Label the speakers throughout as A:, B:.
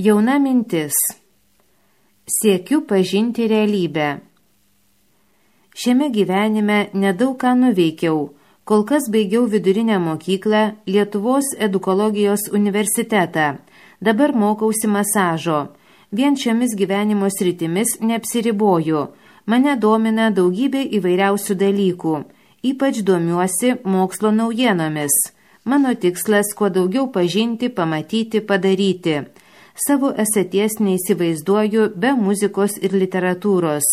A: Jauna mintis. Siekiu pažinti realybę. Šiame gyvenime nedaug ką nuveikiau. Kol kas baigiau vidurinę mokyklą, Lietuvos edukologijos universitetą. Dabar mokausi masažo. Vien šiomis gyvenimo sritimis neapsiriboju. Mane domina daugybė įvairiausių dalykų. Ypač domiuosi mokslo naujienomis. Mano tikslas kuo daugiau pažinti, pamatyti, padaryti. Savo esaties neįsivaizduoju be muzikos ir literatūros.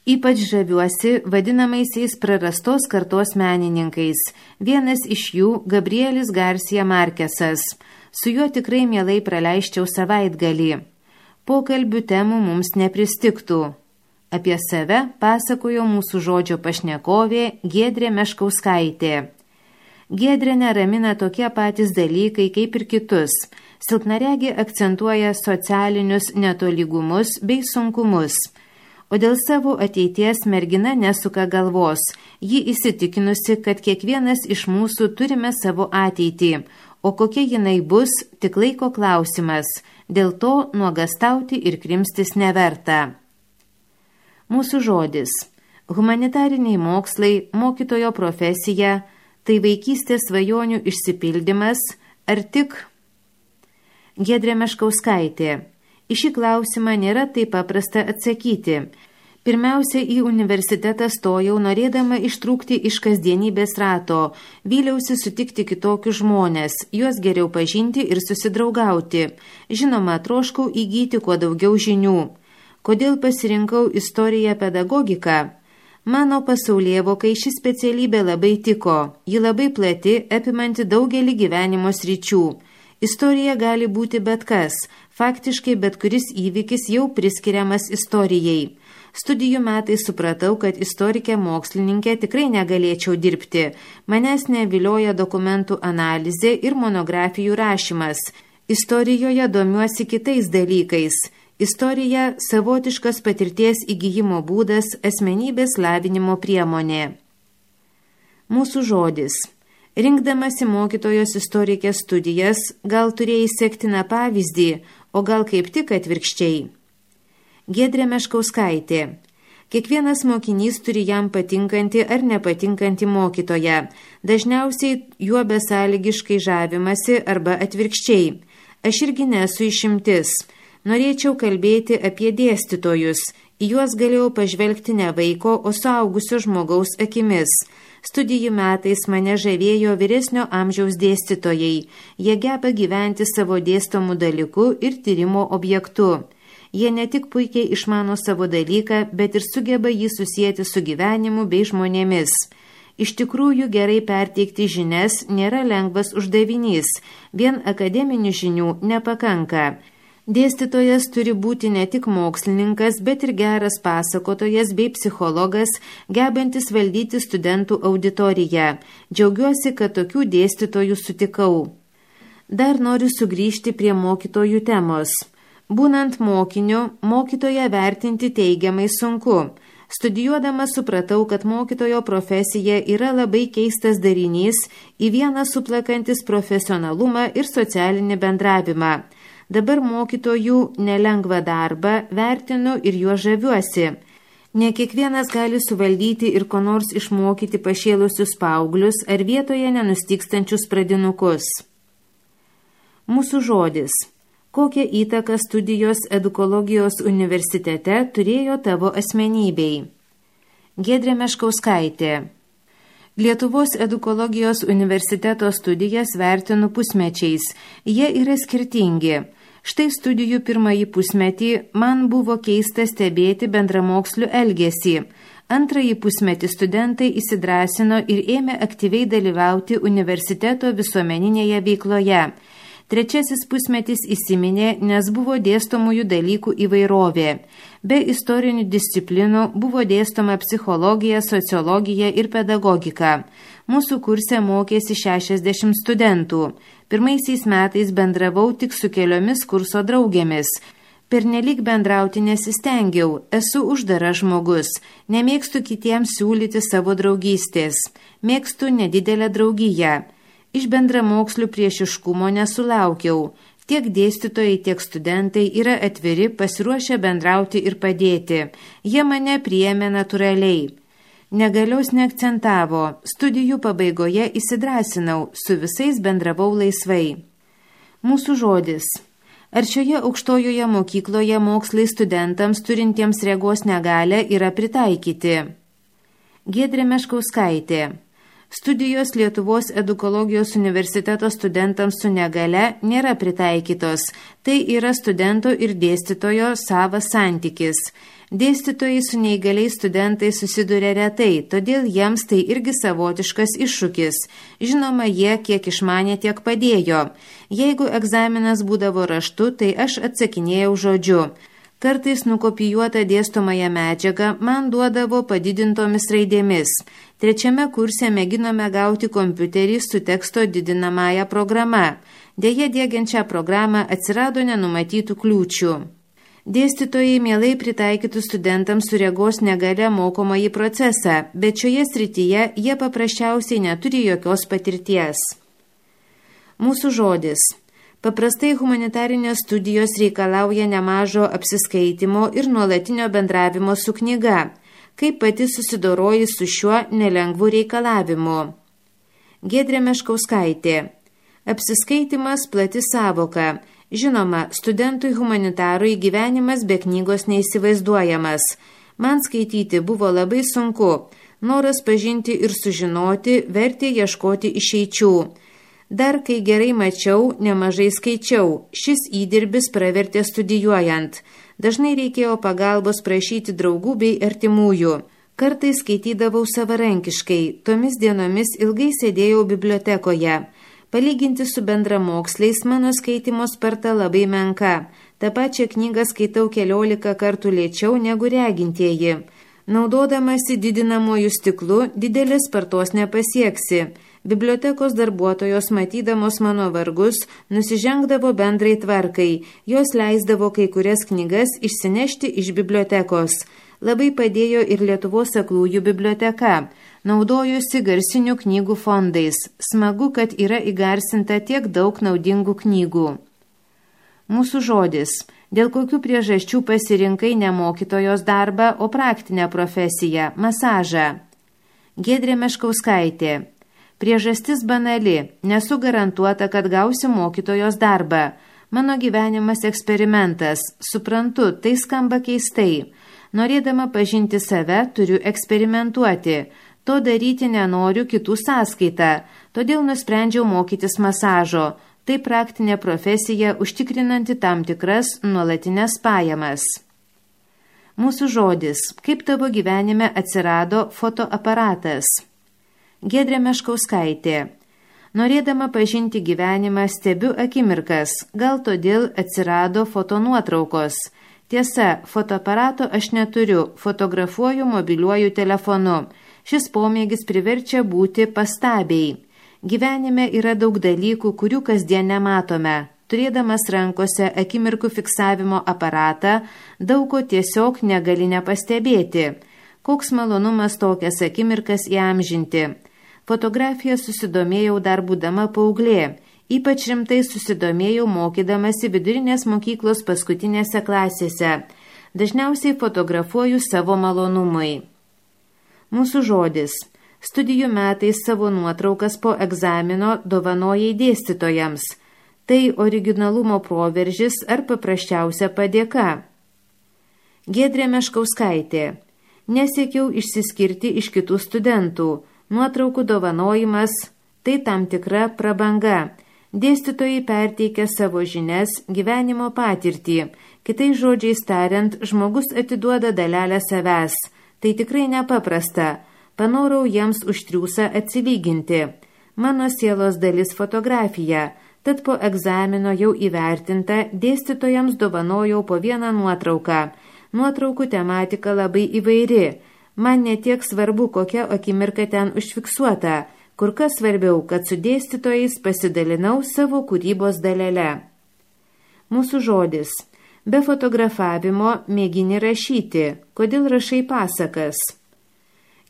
A: Ypač žaviuosi vadinamaisiais prarastos kartos menininkais. Vienas iš jų Gabrielis Garcia Marquesas. Su juo tikrai mielai praleisčiau savaitgalį. Pokalbių temų mums nepristiktų. Apie save pasakojo mūsų žodžio pašnekovė Giedrė Meškauskaitė. Giedrė neramina tokie patys dalykai kaip ir kitus. Silpnaregė akcentuoja socialinius netolygumus bei sunkumus. O dėl savo ateities mergina nesuka galvos. Ji įsitikinusi, kad kiekvienas iš mūsų turime savo ateitį, o kokia jinai bus, tik laiko klausimas. Dėl to nuogastauti ir krimstis neverta. Mūsų žodis. Humanitariniai mokslai, mokytojo profesija, tai vaikystės svajonių išsipildymas, ar tik? Giedrė Meškauskaitė. Į šį klausimą nėra taip paprasta atsakyti. Pirmiausia, į universitetą stojau norėdama ištrūkti iš kasdienybės rato. Vyliausi sutikti kitokius žmonės, juos geriau pažinti ir susidraugauti. Žinoma, troškau įgyti kuo daugiau žinių. Kodėl pasirinkau istoriją pedagogiką? Mano pasaulėvokai ši specialybė labai tiko. Ji labai plati, apimanti daugelį gyvenimo sričių. Istorija gali būti bet kas. Faktiškai bet kuris įvykis jau priskiriamas istorijai. Studijų metais supratau, kad istorikė mokslininkė tikrai negalėčiau dirbti. Manęs nevilioja dokumentų analizė ir monografijų rašymas. Istorijoje domiuosi kitais dalykais. Istorija – savotiškas patirties įgyjimo būdas, asmenybės lavinimo priemonė. Mūsų žodis. Rinkdamasi mokytojos istorikės studijas, gal turėjai sektiną pavyzdį, o gal kaip tik atvirkščiai. Giedrė Meškauskaitė. Kiekvienas mokinys turi jam patinkantį ar nepatinkantį mokytoją. Dažniausiai juo besąlygiškai žavimasi arba atvirkščiai. Aš irgi nesu išimtis. Norėčiau kalbėti apie dėstytojus. Į juos galėjau pažvelgti ne vaiko, o suaugusio žmogaus akimis. Studijų metais mane žavėjo vyresnio amžiaus dėstytojai. Jie geba gyventi savo dėstomų dalykų ir tyrimo objektu. Jie ne tik puikiai išmano savo dalyką, bet ir sugeba jį susijęti su gyvenimu bei žmonėmis. Iš tikrųjų, gerai perteikti žinias nėra lengvas uždavinys. Vien akademinių žinių nepakanka. Dėstytojas turi būti ne tik mokslininkas, bet ir geras pasakotojas bei psichologas, gebantis valdyti studentų auditoriją. Džiaugiuosi, kad tokių dėstytojų sutikau. Dar noriu sugrįžti prie mokytojų temos. Būnant mokiniu, mokytoją vertinti teigiamai sunku. Studijuodama supratau, kad mokytojo profesija yra labai keistas darinys, į vieną suplakantis profesionalumą ir socialinį bendravimą. Dabar mokytojų nelengvą darbą vertinu ir juo žaviuosi. Ne kiekvienas gali suvaldyti ir ko nors išmokyti pašėlusius paauglius ar vietoje nenustykstančius pradinukus. Mūsų žodis. Kokią įtaką studijos edukologijos universitete turėjo tavo asmenybei? Giedrė Meškauskaitė. Lietuvos edukologijos universiteto studijas vertinu pusmečiais. Jie yra skirtingi. Štai studijų pirmąjį pusmetį man buvo keista stebėti bendramokslių elgesį. Antrąjį pusmetį studentai įsidrąsino ir ėmė aktyviai dalyvauti universiteto visuomeninėje veikloje. Trečiasis pusmetis įsiminė, nes buvo dėstomųjų dalykų įvairovė. Be istorinių disciplinų buvo dėstoma psichologija, sociologija ir pedagogika. Mūsų kurse mokėsi 60 studentų. Pirmaisiais metais bendravau tik su keliomis kurso draugėmis. Pernelyg bendrauti nesistengiau, esu uždaras žmogus, nemėgstu kitiems siūlyti savo draugystės, mėgstu nedidelę draugiją. Iš bendramokslių priešiškumo nesulaukiau. Tiek dėstytojai, tiek studentai yra atviri, pasiruošę bendrauti ir padėti. Jie mane priėmė natūraliai. Negalios neakcentavo, studijų pabaigoje įsidrasinau, su visais bendravau laisvai. Mūsų žodis. Ar šioje aukštojoje mokykloje mokslai studentams turintiems regos negalią yra pritaikyti? Giedrė Meškauskaitė. Studijos Lietuvos edukologijos universiteto studentams su negale nėra pritaikytos. Tai yra studento ir dėstytojo savas santykis. Dėstytojai su neįgaliais studentais susiduria retai, todėl jiems tai irgi savotiškas iššūkis. Žinoma, jie kiek išmanė, tiek padėjo. Jeigu egzaminas būdavo raštu, tai aš atsakinėjau žodžiu. Kartais nukopijuotą dėstomąją medžiagą man duodavo padidintomis raidėmis. 3 kurse mėginome gauti kompiuterį su teksto didinamąja programa. Deja, diegiant šią programą atsirado nenumatytų kliūčių. Dėstytojai mielai pritaikytų studentams su regos negale mokomąjį procesą, bet šioje srityje jie paprasčiausiai neturi jokios patirties. Mūsų žodis. Paprastai humanitarinės studijos reikalauja nemažo apsiskaitimo ir nuolatinio bendravimo su knyga. Kaip pati susidoroji su šiuo nelengvu reikalavimu? Giedrė Meškauskaitė. Apsiskaitimas plati savoka. Žinoma, studentui humanitarui gyvenimas be knygos neįsivaizduojamas. Man skaityti buvo labai sunku. Noras pažinti ir sužinoti vertė ieškoti išeičių. Dar kai gerai mačiau, nemažai skaičiau. Šis įdirbis pravertė studijuojant. Dažnai reikėjo pagalbos prašyti draugų bei artimųjų. Kartais skaitydavau savarankiškai. Tomis dienomis ilgai sėdėjau bibliotekoje. Palyginti su bendramoksliais mano skaitimo sparta labai menka. Ta pačia knygą skaitau 14 kartų lėčiau negu regintieji. Naudodamasi didinamuoju stiklu, didelės spartos nepasieksi. Bibliotekos darbuotojos, matydamos mano vargus, nusižengdavo bendrai tvarkai. Jos leisdavo kai kurias knygas išsinešti iš bibliotekos. Labai padėjo ir Lietuvos aklųjų biblioteka. Naudojusi garsinių knygų fondais. Smagu, kad yra įgarsinta tiek daug naudingų knygų. Mūsų žodis. Dėl kokių priežasčių pasirinkai ne mokytojos darbą, o praktinę profesiją – masažą? Giedrė Meškauskaitė. Priežastis banali. Nesu garantuota, kad gausiu mokytojos darbą. Mano gyvenimas eksperimentas. Suprantu, tai skamba keistai. Norėdama pažinti save, turiu eksperimentuoti. To daryti nenoriu kitų sąskaitą. Todėl nusprendžiau mokytis masažo. Tai praktinė profesija užtikrinanti tam tikras nuolatinės pajamas. Mūsų žodis. Kaip tavo gyvenime atsirado fotoaparatas? Giedrė Meškauskaitė. Norėdama pažinti gyvenimą, stebiu akimirkas, gal todėl atsirado fotonuotraukos. Tiesa, fotoaparato aš neturiu, fotografuoju mobiliuoju telefonu. Šis pomėgis priverčia būti pastabiai. Gyvenime yra daug dalykų, kurių kasdien nematome. Turėdamas rankose akimirkų fiksavimo aparatą, daug ko tiesiog negali nepastebėti. Koks malonumas tokias akimirkas įamžinti. Fotografiją susidomėjau dar būdama paauglė. Ypač rimtai susidomėjau mokydamasi vidurinės mokyklos paskutinėse klasėse. Dažniausiai fotografuoju savo malonumui. Mūsų žodis. Studijų metais savo nuotraukas po egzamino dovanojai dėstytojams. Tai originalumo proveržis ar paprasčiausia padėka? Giedrė Meškauskaitė. Nesiekiau išsiskirti iš kitų studentų. Nuotraukų dovanojimas – tai tam tikra prabanga. Dėstytojai perteikia savo žinias, gyvenimo patirtį. Kitais žodžiais tariant, žmogus atiduoda dalelę savęs. Tai tikrai nepaprasta. Panorau jiems už triūsą atsilyginti. Mano sielos dalis fotografija. Tad po egzamino jau įvertinta, dėstytojams dovanojau po vieną nuotrauką. Nuotraukų tematika labai įvairi. Man netiek svarbu, kokia akimirka ten užfiksuota, kur kas svarbiau, kad su dėstytojais pasidalinau savo kūrybos dalele. Mūsų žodis. Be fotografavimo mėgini rašyti. Kodėl rašai pasakas?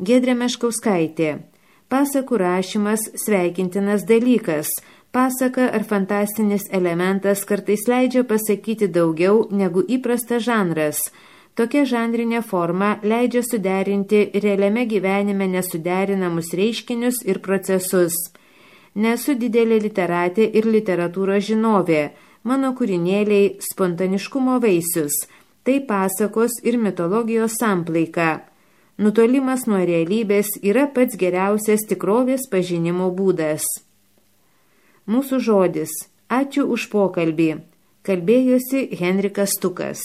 A: Giedrė Meškauskaitė. Pasakų rašymas sveikintinas dalykas. Pasaka ar fantastinis elementas kartais leidžia pasakyti daugiau negu įprastas žanras. Tokia žanrinė forma leidžia suderinti realiame gyvenime nesuderinamus reiškinius ir procesus. Nesu didelė literatė ir literatūros žinovė. Mano kūrinėliai spontaniškumo vaisius. Tai pasakos ir mitologijos samplaika. Nutolimas nuo realybės yra pats geriausias tikrovės pažinimo būdas. Mūsų žodis. Ačiū už pokalbį. Kalbėjosi Henrikas Stukas.